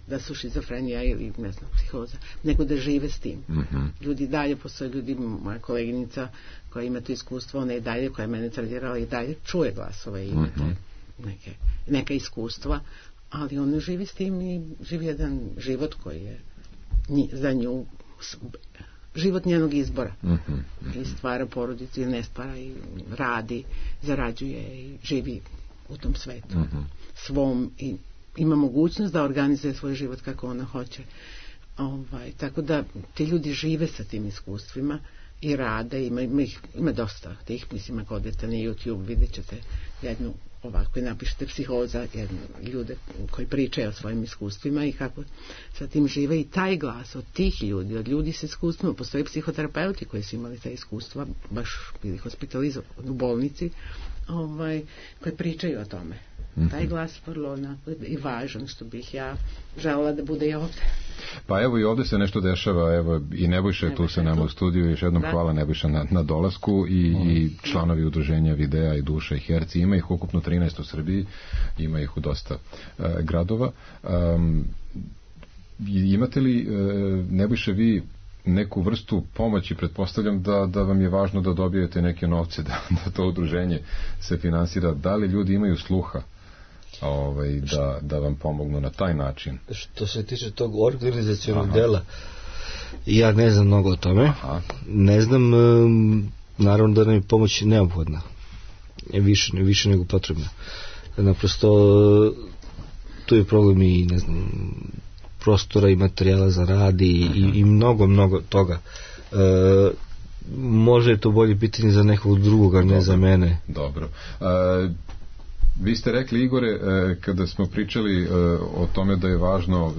da su šizofrenija ili ne znam, psihoza, nego da žive s tim. Ljudi dalje, postoje ljudi, moja koleginica koja ima to iskustvo, ona je dalje, koja je mene tredirala i dalje čuje glasove i ima neka iskustva, ali ona živi s tim i živi jedan život koji je za nju život njenog izbora i stvara porodicu ili ne stvara i radi, zarađuje i živi u tom svetu svom i ima mogućnost da organizuje svoj život kako ona hoće. Tako da ti ljudi žive sa tim iskustvima i rade, ima dosta tih, mislim, ako odete na YouTube vidjet ćete jednu ovako i napišete psihoza, ljude koji pričaju o svojim iskustvima i kako sa tim žive i taj glas od tih ljudi, od ljudi sa iskustvima, postoje psihoterapeuti koji su imali ta iskustva, baš bili hospitalizovani u bolnici, koji pričaju o tome. taj glas vrlo onako i važan, što bih ja želela da bude i ovde. Pa evo i ovde se nešto dešava, evo i Nebojša je tu sa nama u studiju, još jednom hvala Nebojša na dolasku i članovi udruženja Videa i Duša i Herci, ima ih ukupno 13 u Srbiji, ima ih u dosta gradova. Imate li, Nebojša, vi neku vrstu pomoći, pretpostavljam da vam je važno da dobijete neke novce, da to udruženje se finansira, da li ljudi imaju sluha da vam pomognu na taj način? Što se tiče tog organizacionog dela, ja ne znam mnogo o tome. Ne znam, naravno da nam je pomoć neophodna, više nego potrebna. Naprosto tu je problem i ne znam, prostora i materijala za rad i mnogo toga. Može je to bolje pitanje za nekog drugog, a ne za mene. Dobro. Vi ste rekli, Igore, kada smo pričali o tome da je važno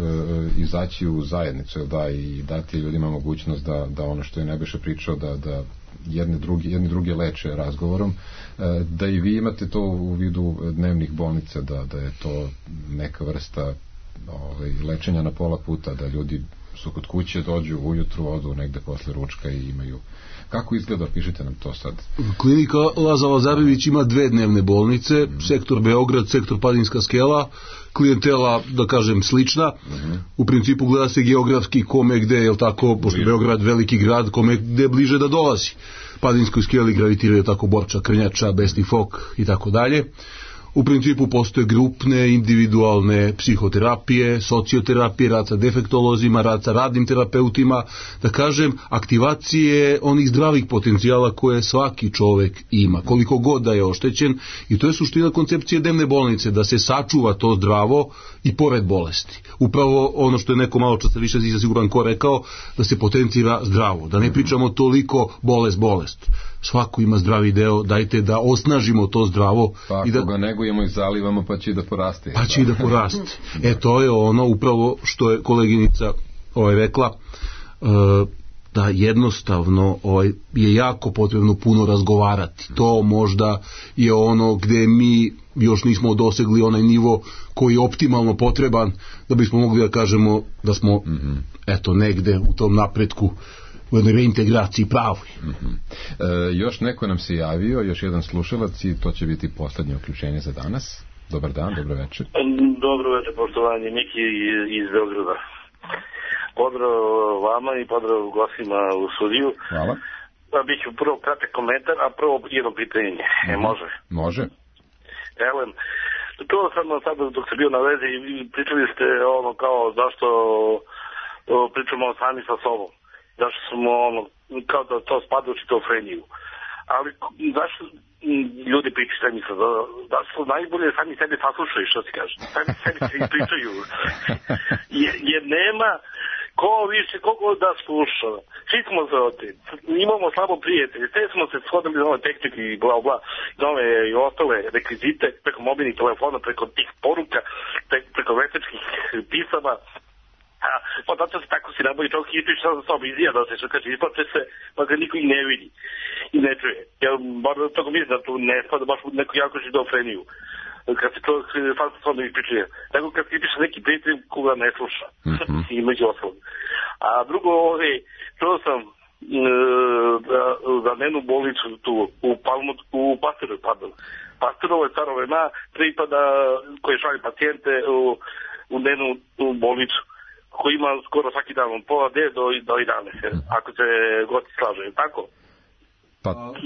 izaći u zajednicu, i dati ljudima mogućnost da ono što je Nebojša pričao, da jedni druge leče razgovorom, da i vi imate to u vidu dnevnih bolnica, da je to neka vrsta lečenja na pola puta, da ljudi su kod kuće, dođu ujutru, odu negde posle ručka i imaju. Kako izgleda, pišite nam to sad. Klinika Laza Lazarević ima 2 dnevne bolnice, sektor Beograd, sektor Padinska skela, klijentela, da kažem, slična. U principu gleda se geografski kome gde, je tako, pošto Beograd veliki grad, kome gde bliže da dolazi. Padinskoj skeli gravitiraju tako Borča, Krnjača, Besni Fok i tako dalje. U principu postoje grupne, individualne psihoterapije, socioterapije, rad sa defektolozima, rad sa radnim terapeutima, da kažem, aktivacije onih zdravih potencijala koje svaki čovek ima, koliko god da je oštećen, i to je suština koncepcije dnevne bolnice, da se sačuva to zdravo i pored bolesti. Upravo ono što je neko malo čas više siguran ko rekao, da se potencira zdravo, da ne pričamo toliko bolest. Svako ima zdravi deo, dajte da osnažimo to zdravo. Pa ako ga negujemo i zalivamo, pa će da poraste. Pa će da poraste. To je ono upravo što je koleginica rekla, da jednostavno je jako potrebno puno razgovarati. To možda je ono gde mi još nismo dosegli onaj nivo koji je optimalno potreban da bismo mogli da kažemo da smo negde u tom napretku, u jednoj reintegraciji pravoj. Još neko nam se javio, još jedan slušalac, i to će biti poslednje uključenje za danas. Dobar dan, dobro večer. Dobro večer, poštovanje, Miki iz Beograda. Pozdrav vama i pozdrav gostima u studiju. Hvala. Biću prvo kratak komentar, a prvo jedno pitanje. Može? Može. Evo, to sam sad dok sam bio na vezi, pričali ste kao zašto pričamo sami sa sobom. Zašto smo kao da to spada u šizofreniju. Ali zašto ljudi pričaju sami sa sobom? Da su najbolje sami sebe saslušaju, što ti kažem. Sami sebi se ispričaju. Jer nema ko više, koliko da sluša. Svi smo za otim. Imamo slabo prijatelje. Sve smo se shodili za ove tehnike i bla bla. Nove i ostale rekvizite preko mobilnih telefona, preko tih poruka, preko večerskih pisama. Pa zato se tako si naboji čovjek ispriča sa sobom, izjeda se, što kaže, isplače se, pa ga niko i ne vidi i ne čuje. Ja bar toga mislim da tu ne spada baš u neku jako šizofreniju, kad se čovjek sam sa sobom ispričuje. Nego kad se ispriča neki prijatelj koga ne sluša, i među ostalom. A drugo, čuo sam za dnevnu bolnicu tu u Pastorovoj Staro vremena pripada koje šalje pacijente u dnevnu bolnicu, koji ima skoro svaki dan od pola 9 do 11, ako se gosti slaže, tako?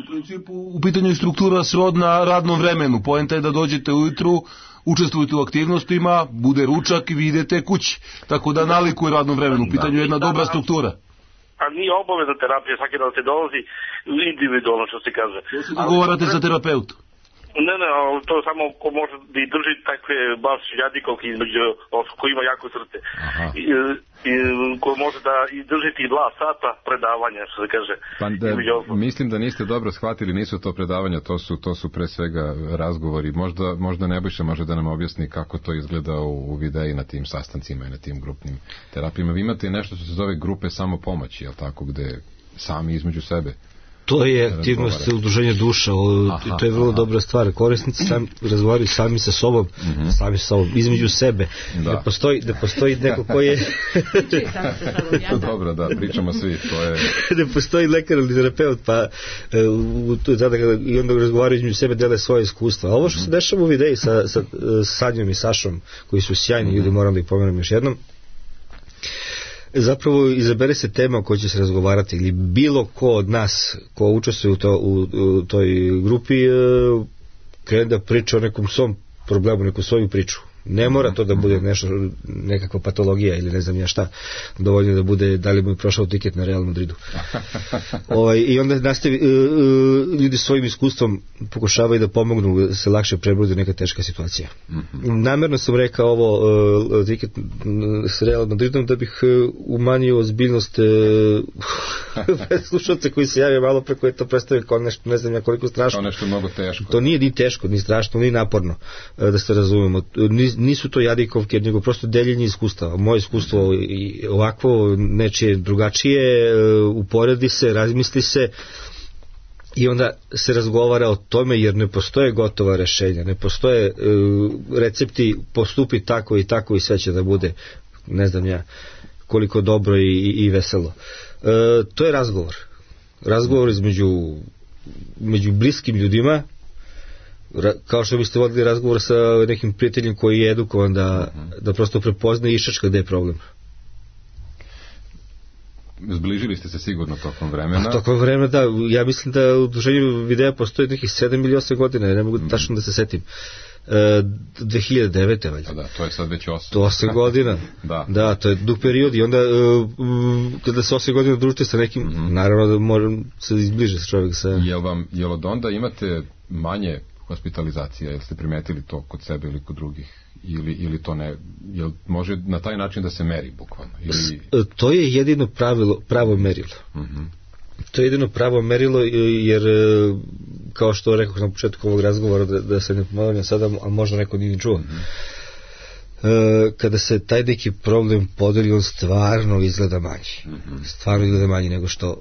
U principu, u pitanju je struktura srodna radnom vremenu. Poenta je da dođete ujutru, učestvujete u aktivnostima, bude ručak i vi idete kući. Tako da nalikuje radnom vremenu. U pitanju je jedna dobra struktura. A nije obavezna terapija, svaki dan se dolazi individualno, što se kaže. Dogovarate sa terapeutom? Ne, to samo ko može da i drži takve baš jadikovke između ko ima jako srce. Ko može da i držiti 2 sata predavanja, što se kaže. Mislim da niste dobro shvatili, nisu to predavanja, to su pre svega razgovori. Možda Nebojša može da nam objasni kako to izgleda u videi na tim sastancima i na tim grupnim terapijama. Vi imate nešto što se zove grupe samopomoći, je li tako, gde sami između sebe To je aktivnost udruženja duša, to je vrlo dobra stvar. Korisnici razgovaraju sami sa sobom, između sebe. Ne postoji neko ko je... Dobro, da, pričamo svi. Ne postoji lekar ili terapeut, pa i onda razgovaraju između sebe, dele svoje iskustva. A ovo što se dešava u videji sa Sanjom i Sašom, koji su sjajni ljudi, moram da ih pomenem još jednom, zapravo izabere se tema o kojoj će se razgovarati ili bilo ko od nas ko učestvuje u toj grupi krene da priča o nekom svom problemu, neku svoju priču. Ne mora to da bude nekakva patologija ili ne znam ja šta, dovoljno da bude da li mu je prošao tiket na Real Madridu. I onda nastavi, ljudi svojim iskustvom pokušavaju da pomognu da se lakše prebrode neka teška situacija. Namjerno sam rekao ovo tiket s Real Madridom da bih umanjio ozbiljnost slušalce koji se javio malo preko je to predstavio kao nešto, ne znam ja koliko strašno. Kao nešto mnogo teško. To nije ni teško, ni strašno, ni naporno, da se razumemo. Nisu to jadikovke, nego prosto deljenje iskustava. Moje iskustvo ovakvo, nečije drugačije, uporedi se, razmisli se i onda se razgovara o tome, jer ne postoje gotova rešenja, ne postoje recepti, postupi tako i tako i sve će da bude, ne znam ja, koliko dobro i veselo. To je razgovor između bliskim ljudima, kao što biste vodili razgovor sa nekim prijateljem koji je edukovan da prosto prepozna i išačka gde je problem. Zbližili ste se sigurno tokom vremena. Tokom vremena, da. Ja mislim da u udruženju videa postoji nekih 7 ili 8 godina, ne mogu tačno da se setim. 2009. valjda. Da, to je sad već 8. To 8 godina. Da, to je dug period i onda kada se 8 godina družite sa nekim, naravno da moram se izbliže sa čovjek sa... Jel od onda imate manje hospitalizacija, jel ste primetili to kod sebe ili kod drugih, ili to ne, jel može na taj način da se meri bukvalno? To je jedino pravo merilo. To je jedino pravo merilo, jer kao što rekao na početku ovog razgovora, da se ne ponavljam sada, a možda neko nije čuo, kada se taj neki problem podeli, on stvarno izgleda manji nego što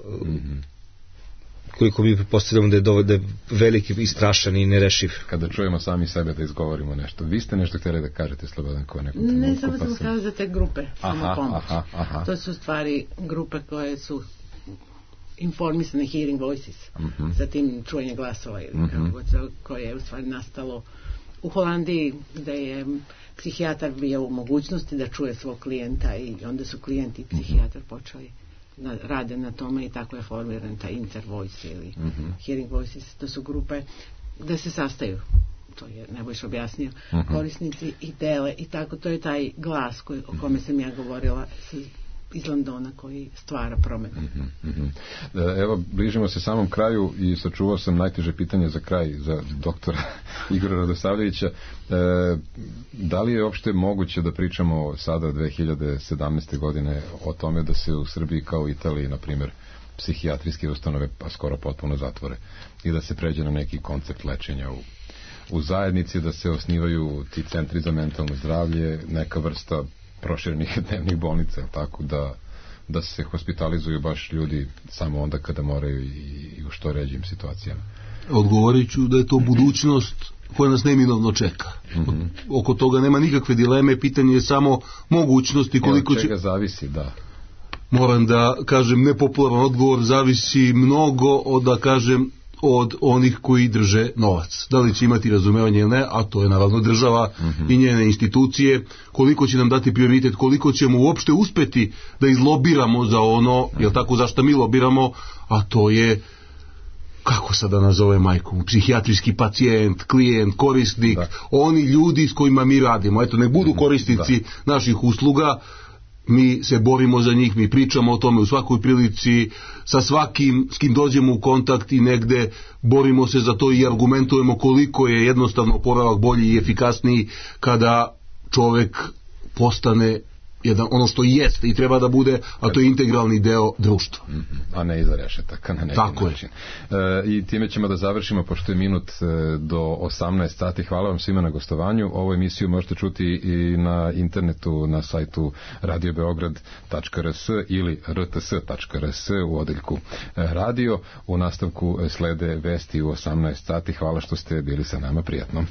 koliko mi pretpostavljamo da je veliki i strašan i nerešiv. Kada čujemo sami sebe da izgovorimo nešto. Vi ste nešto htjeli da kažete, Slobodan, kao nekom Ne, samo sam htjela za te grupe samopomoć. To su stvari grupe koje su informisane, Hearing Voices, zatim čujenje glasova, koje je u stvari nastalo u Holandiji, gde je psihijatar bio u mogućnosti da čuje svog klijenta i onda su klijenti i psihijatar počeli rade na tome i tako je formiran taj Intervoice ili Hearing Voices. To su grupe gde se sastaju, to je Nebojša objasnio, korisnici i dele i tako, to je taj glas o kome sam ja govorila iz Londona koji stvara promenu. Evo, bližimo se samom kraju i sačuvao sam najteže pitanje za kraj, za doktora Igora Radosavljevića. Da li je uopšte moguće da pričamo sada 2017. godine o tome da se u Srbiji kao u Italiji, na primjer, psihijatrijske ustanove pa skoro potpuno zatvore i da se pređe na neki koncept lečenja u zajednici, da se osnivaju ti centri za mentalno zdravlje, neka vrsta proširenih dnevnih bolnica, tako da se hospitalizuju baš ljudi samo onda kada moraju i u što ređim situacijama. Odgovorit ću da je to budućnost koja nas neminovno čeka. Oko toga nema nikakve dileme, pitanje je samo mogućnosti koliko će... Od čega zavisi, da. Moram da kažem, nepopularan odgovor, zavisi mnogo od onih koji drže novac. Da li će imati razumevanje ili ne, a to je naravno država i njene institucije, koliko će nam dati prioritet, koliko ćemo uopšte uspeti da izlobiramo za ono, jel tako, zašto mi lobiramo, a to je, kako sad da nazove majku, psihijatrijski pacijent, klijent, korisnik, oni ljudi s kojima mi radimo, eto, ne budu korisnici naših usluga, mi se borimo za njih, mi pričamo o tome u svakoj prilici, sa svakim s kim dođemo u kontakt i negde borimo se za to i argumentujemo koliko je jednostavno oporavak bolji i efikasniji kada čovek postane ono što jeste i treba da bude, a to je integralni deo društva. A ne iza rešetaka na neki način. I time ćemo da završimo, pošto je minut do 18 sati. Hvala vam svima na gostovanju. Ovu emisiju možete čuti i na internetu, na sajtu radiobeograd.rs ili rts.rs u odeljku radio. U nastavku slede vesti u 18 sati. Hvala što ste bili sa nama, prijatno.